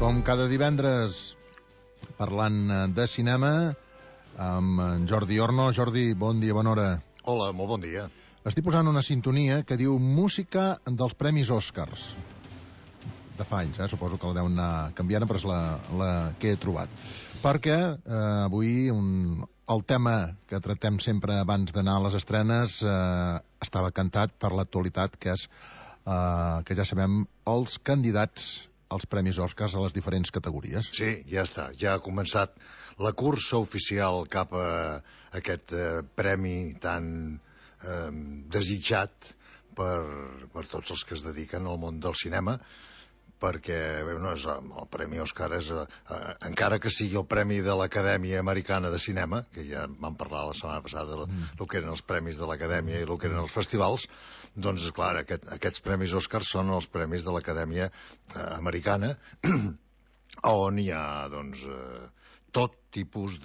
Com cada divendres, parlant de cinema, amb en Jordi Orno. Jordi, bon dia, bona hora. Hola, molt bon dia. Estic posant una sintonia que diu Música dels Premis Oscars. De fa anys, suposo que la deuen anar canviant, però és la que he trobat. Perquè avui el tema que tractem sempre abans d'anar a les estrenes estava cantat per l'actualitat, que és que ja sabem els candidats als Premis Oscars a les diferents categories. Sí, ja està. Ja ha començat la cursa oficial cap a aquest premi tan desitjat per tots els que es dediquen al món del cinema, perquè el Premi Òscar és, encara que sigui el premi de l'Acadèmia Americana de Cinema, que ja vam parlar la setmana passada del que eren els premis de l'Acadèmia i el que eren els festivals, doncs, clar, aquests Premis Òscar són els premis de l'Acadèmia Americana, on hi ha, doncs, tot tipus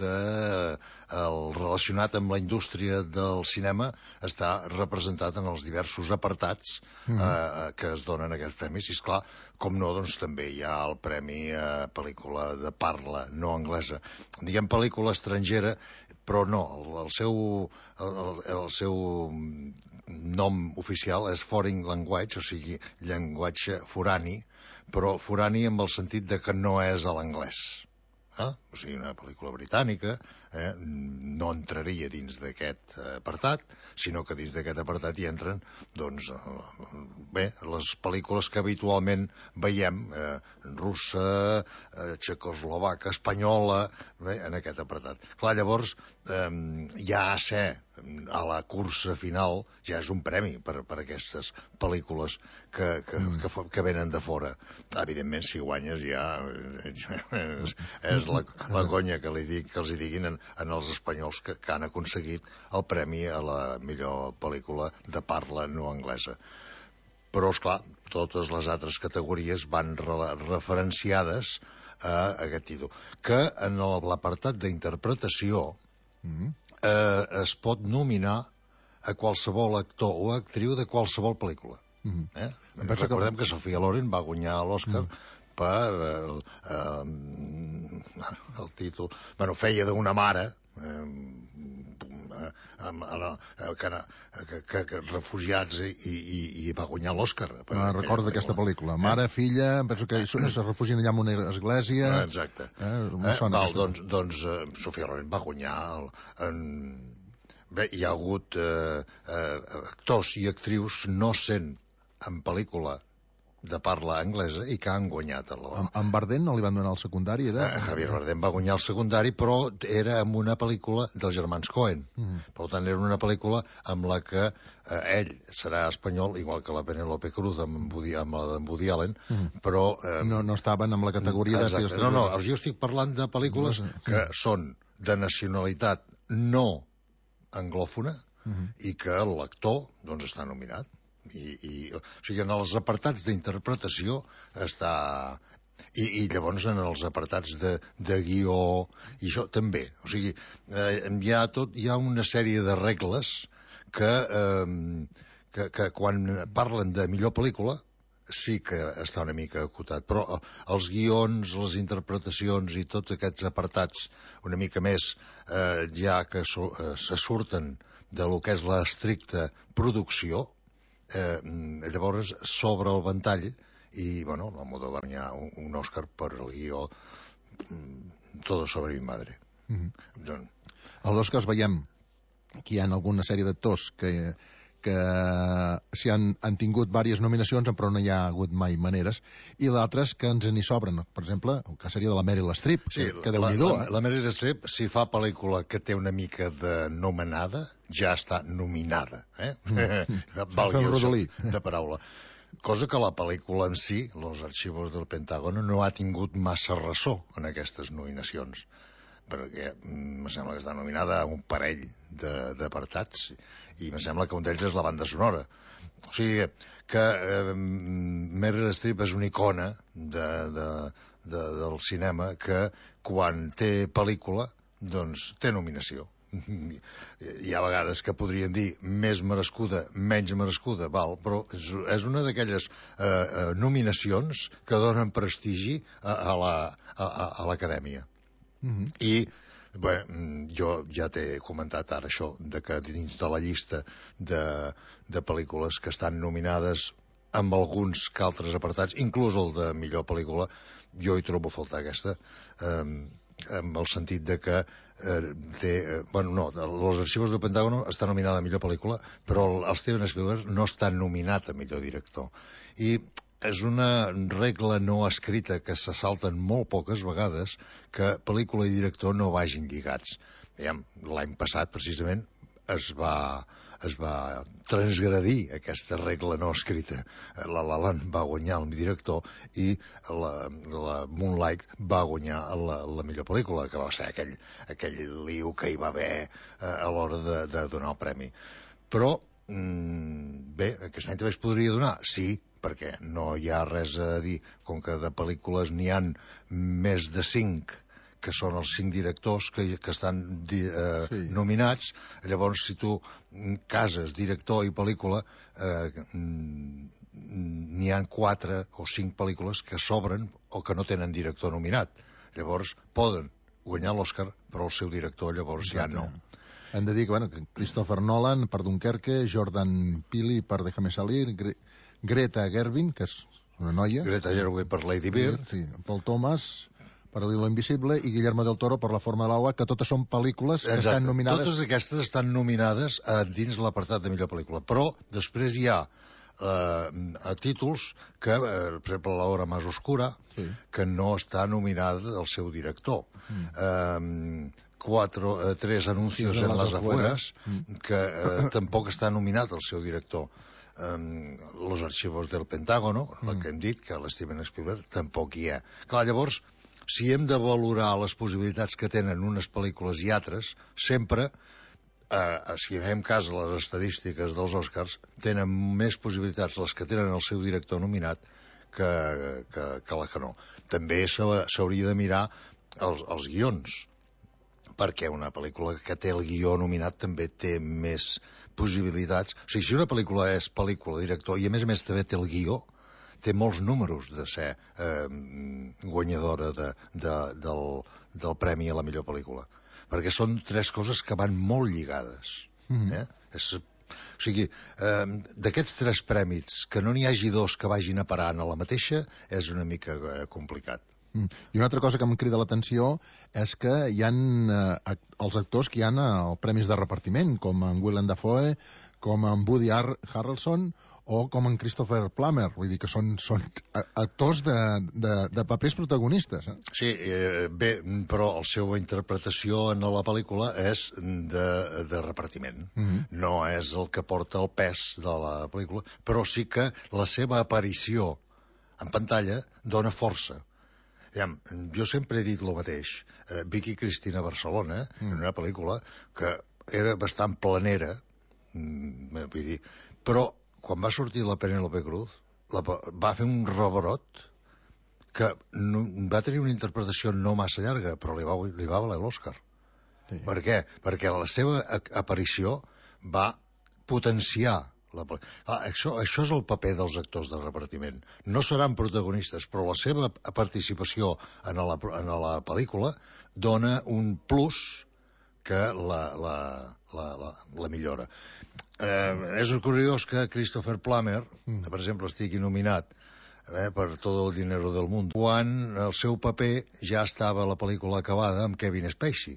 relacionat amb la indústria del cinema està representat en els diversos apartats que es donen aquests premis. I esclar, com no, doncs també hi ha el premi a pel·lícula de parla no anglesa. Diguem pel·lícula estrangera, però no, el seu nom oficial és Foreign Language, o sigui, llenguatge forani, però forani amb el sentit de que no és a l'anglès. O sigui, una pel·lícula britànica no entraria dins d'aquest apartat, sinó que dins d'aquest apartat hi entren, doncs, les pel·lícules que habitualment veiem, russa, txecoslovaca, espanyola, en aquest apartat. Clar, llavors, ja ser a la cursa final ja és un premi per aquestes pel·lícules que venen de fora. Evidentment, si guanyes ja és la conya que els hi diguin en els espanyols que han aconseguit el premi a la millor pel·lícula de parla no anglesa. Però, esclar, totes les altres categories van referenciades a aquest títol, que en l'apartat d'interpretació es pot nominar a qualsevol actor o actriu de qualsevol pel·lícula. Recordem que Sofia Loren va guanyar l'Oscar per el títol... feia d'una mare refugiats i va guanyar l'Oscar. Recordo d'aquesta pel·lícula. Mare, filla, penso que es refugien allà en una església. Exacte. Doncs Sofia Loren va guanyar hi ha hagut actors i actrius no sent en pel·lícula de parla anglesa i que han guanyat l'Oscar. En Bardem no li van donar el secundari? Javier Bardem va guanyar el secundari, però era en una pel·lícula dels germans Coen. Per tant, era una pel·lícula amb la que ell serà espanyol, igual que la Penélope Cruz amb Woody Allen, però... No estaven amb la categoria de... No, jo estic parlant de pel·lícules que són de nacionalitat no anglòfona i que l'actor doncs està nominat. O sigui, en els apartats d'interpretació està... I llavors en els apartats de guió i això també. O sigui, hi ha una sèrie de regles que quan parlen de millor pel·lícula sí que està una mica acotat, però els guions, les interpretacions i tots aquests apartats una mica més ja que se surten de lo que és l'estricta producció, llavors s'obre el ventall i, bueno, la Modo va guanyar un Òscar per el guió Todo sobre mi madre. A l'Òscar veiem que hi ha alguna sèrie d'actors que si han tingut diverses nominacions però no hi ha hagut mai maneres, i d'altres que ens n'hi sobren. Per exemple, el cas seria de la Meryl Streep, que Déu-n'hi-do. La Meryl Streep, si fa pel·lícula que té una mica de nomenada, ja està nominada. Valgui el joc de paraula. Cosa que la pel·lícula en si, Los archivos del Pentágono, no ha tingut massa ressò en aquestes nominacions, perquè em sembla que està nominada a un parell d'apartats i em sembla que un d'ells és la banda sonora. O sigui que Meryl Streep és una icona del cinema que quan té pel·lícula doncs té nominació. hi ha vegades que podríem dir més merescuda, menys merescuda, val, però és una d'aquelles nominacions que donen prestigi a l'acadèmia. I bé, jo ja t'he comentat ara això, de que dins de la llista de pel·lícules que estan nominades amb alguns que altres apartats, inclús el de millor pel·lícula, jo hi trobo a faltar aquesta, amb el sentit de que Los archivos del Pentágono està nominada a millor pel·lícula, però el Steven Spielberg no està nominat a millor director. I és una regla no escrita que se salten molt poques vegades, que pel·lícula i director no vagin lligats. L'any passat, precisament, es va transgredir aquesta regla no escrita. La La Land va guanyar el director i la Moonlight va guanyar la millor pel·lícula, que va ser aquell liu que hi va haver a l'hora de donar el premi. Però, bé, aquest any també es podria donar, sí, perquè no hi ha res a dir, com que de pel·lícules n'hi han més de 5, que són els 5 directors que estan nominats. Llavors, si tu cases director i pel·lícula, n'hi ha 4 o 5 pel·lícules que s'obren o que no tenen director nominat. Llavors, poden guanyar l'Oscar, però el seu director llavors ja no. Hem de dir que Christopher Nolan per Dunkerque, Jordan Peele per Déjame Salir, Greta Gerwig, que és una noia. Greta Gerwig per Lady Bird. Sí, Paul Thomas per l'Hilo Invisible i Guillermo del Toro per La forma de l'agua, que totes són pel·lícules que estan nominades. Totes aquestes estan nominades dins l'apartat de millor pel·lícula, però després hi ha títols que, per exemple, La hora más oscura, que no està nominada el seu director. 3 anuncios en las afueras, que tampoc està nominat el seu director. Los archivos del Pentágono, el que hem dit, que l'Steven Spielberg tampoc hi ha. Clar, llavors, si hem de valorar les possibilitats que tenen unes pel·lícules i altres, sempre, si fem cas a les estadístiques dels Oscars, tenen més possibilitats les que tenen el seu director nominat que la que no. També s'hauria de mirar els guions, perquè una pel·lícula que té el guió nominat també té més possibilitats. O sigui, si una pel·lícula és pel·lícula, director, i a més també té el guió, té molts números de ser guanyadora del premi a la millor pel·lícula. Perquè són 3 coses que van molt lligades. O sigui, d'aquests 3 prèmits, que no n'hi hagi 2 que vagin a parar a la mateixa, és una mica complicat. I una altra cosa que em crida l'atenció és que hi ha els actors que hi ha als premis de repartiment, com en Willem Dafoe, com en Woody Harrelson o com en Christopher Plummer. Vull dir que són actors de papers protagonistes. Sí, bé, però la seva interpretació en la pel·lícula és de repartiment. No és el que porta el pes de la pel·lícula, però sí que la seva aparició en pantalla dona força. Jo sempre he dit el mateix. Vicky Cristina Barcelona, en una pel·lícula que era bastant planera, vull dir, però quan va sortir la Penélope Cruz va fer un rebrot que va tenir una interpretació no massa llarga, però li va valer l'Oscar. Per què? Perquè la seva aparició va potenciar això és el paper dels actors de repartiment. No seran protagonistes, però la seva participació en la pel·lícula dona un plus que la millora. És curiós que Christopher Plummer, per exemple, estigui nominat per Todo el dinero del mundo, quan el seu paper ja estava a la pel·lícula acabada amb Kevin Spacey.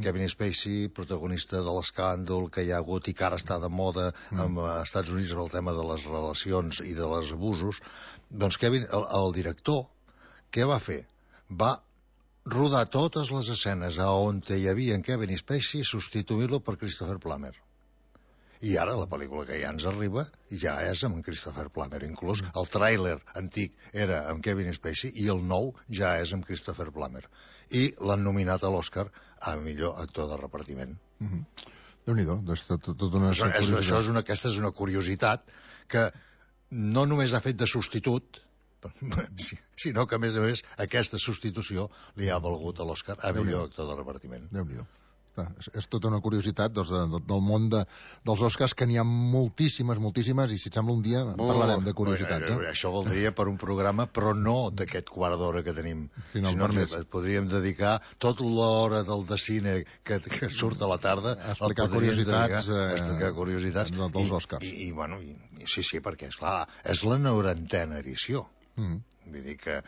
Kevin Spacey, protagonista de l'escàndol que hi ha hagut i que ara està de moda als Estats Units amb el tema de les relacions i de les abusos. Doncs Kevin, el director, què va fer? Va rodar totes les escenes on hi havia en Kevin Spacey, substituir-lo per Christopher Plummer. I ara la pel·lícula que ja ens arriba ja és amb Christopher Plummer. Inclús el tràiler antic era amb Kevin Spacey i el nou ja és amb Christopher Plummer. I l'han nominat a l'Oscar a millor actor de repartiment. Déu-n'hi-do. Aquesta és una curiositat que no només ha fet de substitut, sinó que, a més, aquesta substitució li ha valgut a l'Oscar a millor actor de repartiment. Déu-n'hi-do. És tota una curiositat del món dels Oscars, que n'hi ha moltíssimes, i si et sembla un dia parlarem de curiositats. Això voldria per un programa, però no d'aquest quart d'hora que tenim. Si no, podríem dedicar tota l'hora del de cine que surt a la tarda a explicar curiositats dels Oscars. Sí, perquè, esclar, és la 90a edició. Vull dir que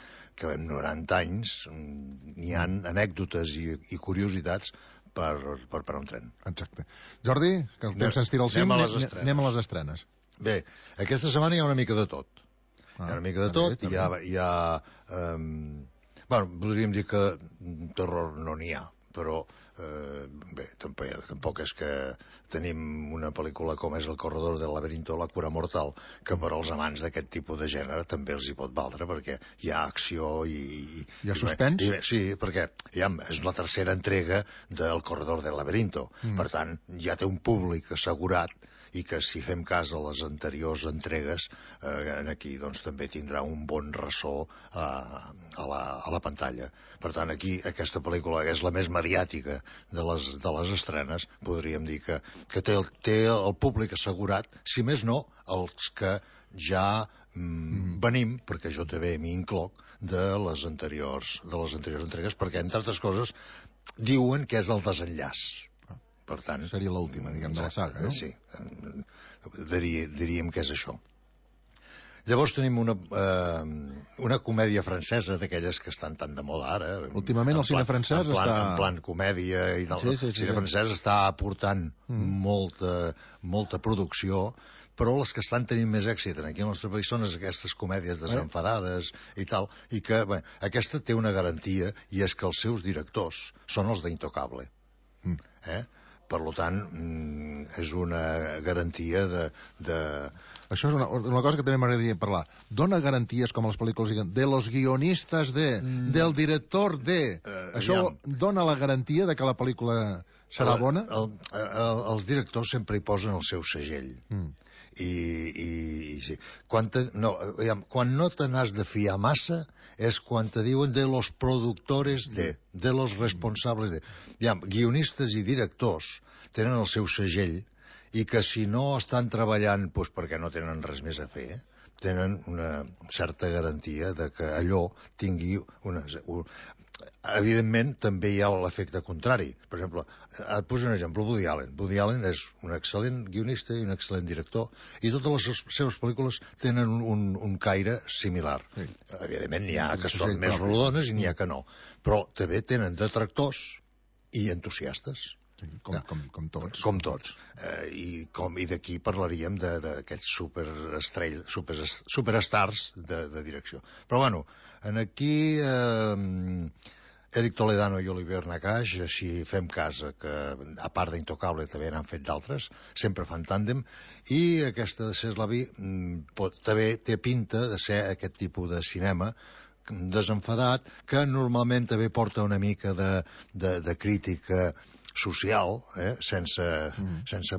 en 90 anys n'hi ha anècdotes i curiositats per un tren. Exacte. Jordi, que el temps se'ns tira al cim, anem a les estrenes. Bé, aquesta setmana hi ha una mica de tot. Hi ha una mica de tot, hi ha podríem dir que terror no n'hi ha, però bé, tampoc és que tenim una pel·lícula com és El corredor del laberinto, La cura mortal, que per als amants d'aquest tipus de gènere també els hi pot valdre, perquè hi ha acció i hi ha suspens? Sí, perquè és la tercera entrega del corredor del laberinto. Per tant, ja té un públic assegurat, i que si fem cas a les anteriors entregues, aquí doncs també tindrà un bon ressò a la pantalla. Per tant, aquí aquesta pel·lícula, que és la més mediàtica de les estrenes, podríem dir que té el públic assegurat, si més no, els que ja venim, perquè jo també m'hi incloc, de les anteriors entregues, perquè, entre altres coses, diuen que és el desenllaç. Per tant, seria l'última, diguem, de la saga, no? Sí, diríem que és això. Llavors tenim una comèdia francesa, d'aquelles que estan tan de moda ara. Últimament el cine francès està... En plan comèdia i tal. El cine francès està aportant molta producció, però les que estan tenint més èxit aquí al nostre país són aquestes comèdies desenfadades i tal, i que aquesta té una garantia, i és que els seus directors són els d'Intocable. Per tant, és una garantia de... Això és una cosa que també m'agradaria parlar. Dona garanties, com a les pel·lícules, de los guionistas del director de... Això dona la garantia de que la pel·lícula serà bona? Els directors sempre hi posen el seu segell. Sí. Quan no te n'has de fiar massa és quan te diuen de los productores de los responsables de... Guionistes i directors tenen el seu segell, i que si no estan treballant perquè no tenen res més a fer, tenen una certa garantia de que allò tingui una... Evidentment, també hi ha l'efecte contrari. Per exemple, et poso un exemple, Woody Allen. Woody Allen és un excel·lent guionista i un excel·lent director, i totes les seves pel·lícules tenen un caire similar. Evidentment, n'hi ha que són més rodones i n'hi ha que no. Però també tenen detractors i entusiastes. Com tots. Com tots. I d'aquí parlaríem d'aquests superstars de direcció. Però bueno, aquí Eric Toledano i Olivier Nakache, si fem cas que a part d'Intocable també n'han fet d'altres, sempre fan tàndem, i aquesta de Ceslavi també té pinta de ser aquest tipus de cinema desenfadat, que normalment també porta una mica de crítica social, sense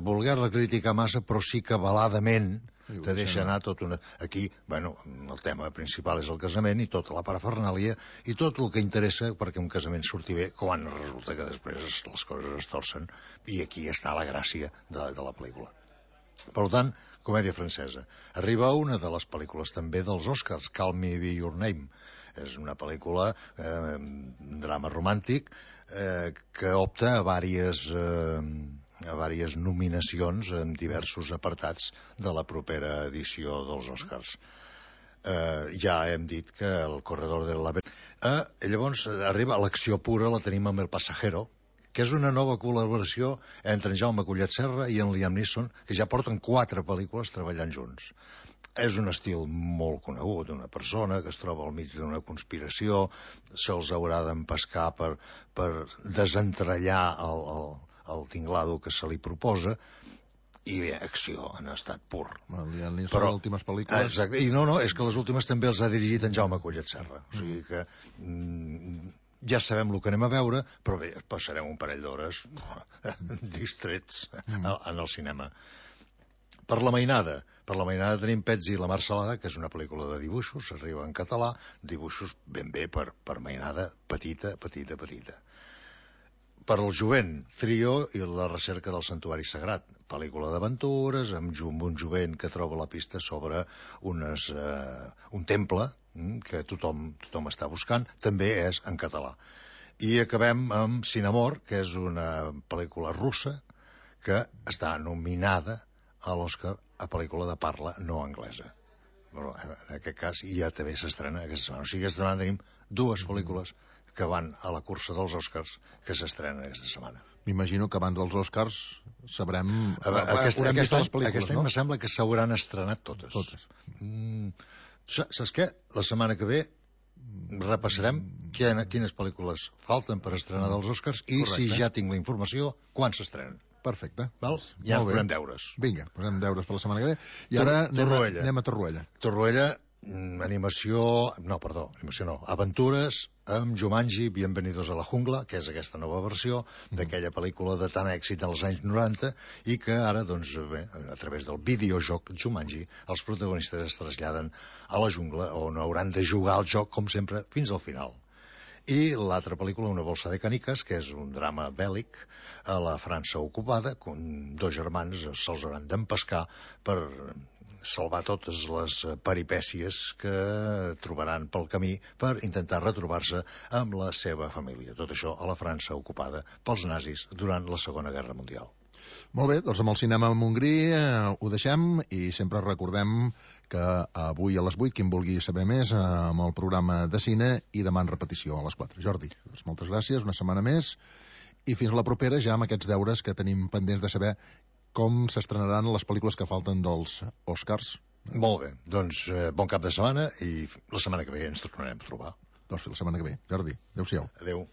voler-la criticar massa, però sí que veladament te deixa anar tot una... Aquí, el tema principal és el casament i tota la parafernàlia i tot el que interessa perquè un casament surti bé, quan resulta que després les coses es torcen, i aquí està la gràcia de la pel·lícula. Per tant, comèdia francesa. Arriba una de les pel·lícules també dels Oscars, Call Me By Your Name. És una pel·lícula, un drama romàntic, que opta a diverses nominacions en diversos apartats de la propera edició dels Oscars. Ja hem dit que El corredor del laberinto... Llavors arriba l'acció pura, la tenim amb El Pasajero, que és una nova col·laboració entre en Jaume Collet Serra i en Liam Neeson, que ja porten 4 pel·lícules treballant junts. És un estil molt conegut, una persona que es troba al mig d'una conspiració, se'ls haurà d'empescar per desentrellar el tinglado que se li proposa, i bé, acció en estat pur. Però les últimes pel·lícules... Exacte, i no, és que les últimes també els ha dirigit en Jaume Collet Serra, o sigui que ja sabem el que anem a veure, però bé, passarem un parell d'hores distrets en el cinema. Per la mainada tenim Pets i la Marcelada, que és una pel·lícula de dibuixos, arriba en català, dibuixos ben bé per mainada petita. per al jovent, Trio i la recerca del santuari sagrat. Pel·lícula d'aventures, amb un jovent que troba la pista sobre un temple que tothom està buscant. També és en català. I acabem amb Cinemor, que és una pel·lícula russa que està nominada a l'Oscar a pel·lícula de parla no anglesa. Bueno, en aquest cas ja també s'estrena aquesta setmana. O sigui, aquesta setmana tenim dues pel·lícules que van a la cursa dels Oscars que s'estrenen aquesta setmana. M'imagino que abans dels Oscars sabrem... Aquest any no? me sembla que s'hauran estrenat totes. Saps què? La setmana que ve repassarem quines pel·lícules falten per estrenar dels Oscars i si ja tinc la informació, quan s'estrenen. Perfecte. Val? Ja ens posem deures. Vinga, posem deures per la setmana que ve. I ara anem a Torroella. Torroella, aventures amb Jumanji, Bienvenidos a la Jungla, que és aquesta nova versió d'aquella pel·lícula de tant èxit dels anys 90 i que ara, doncs, bé, a través del videojoc Jumanji, els protagonistes es traslladen a la jungla on hauran de jugar al joc, com sempre, fins al final. I l'altra pel·lícula, Una bolsa de canicas, que és un drama bèl·lic a la França ocupada, on dos germans se'ls hauran d'empescar per salvar totes les peripècies que trobaran pel camí per intentar retrobar-se amb la seva família. Tot això a la França ocupada pels nazis durant la Segona Guerra Mundial. Molt bé, doncs amb el cinema a Montgrí ho deixem i sempre recordem que avui a les 8, qui en vulgui saber més, amb el programa de cine i demà en repetició a les 4. Jordi, doncs moltes gràcies, una setmana més i fins a la propera ja amb aquests deures que tenim pendents de saber com s'estrenaran les pel·lícules que falten dels Oscars. Molt bé, doncs bon cap de setmana i la setmana que ve ens tornarem a trobar. Doncs fins la setmana que ve. Jordi, adéu-siau. Adéu.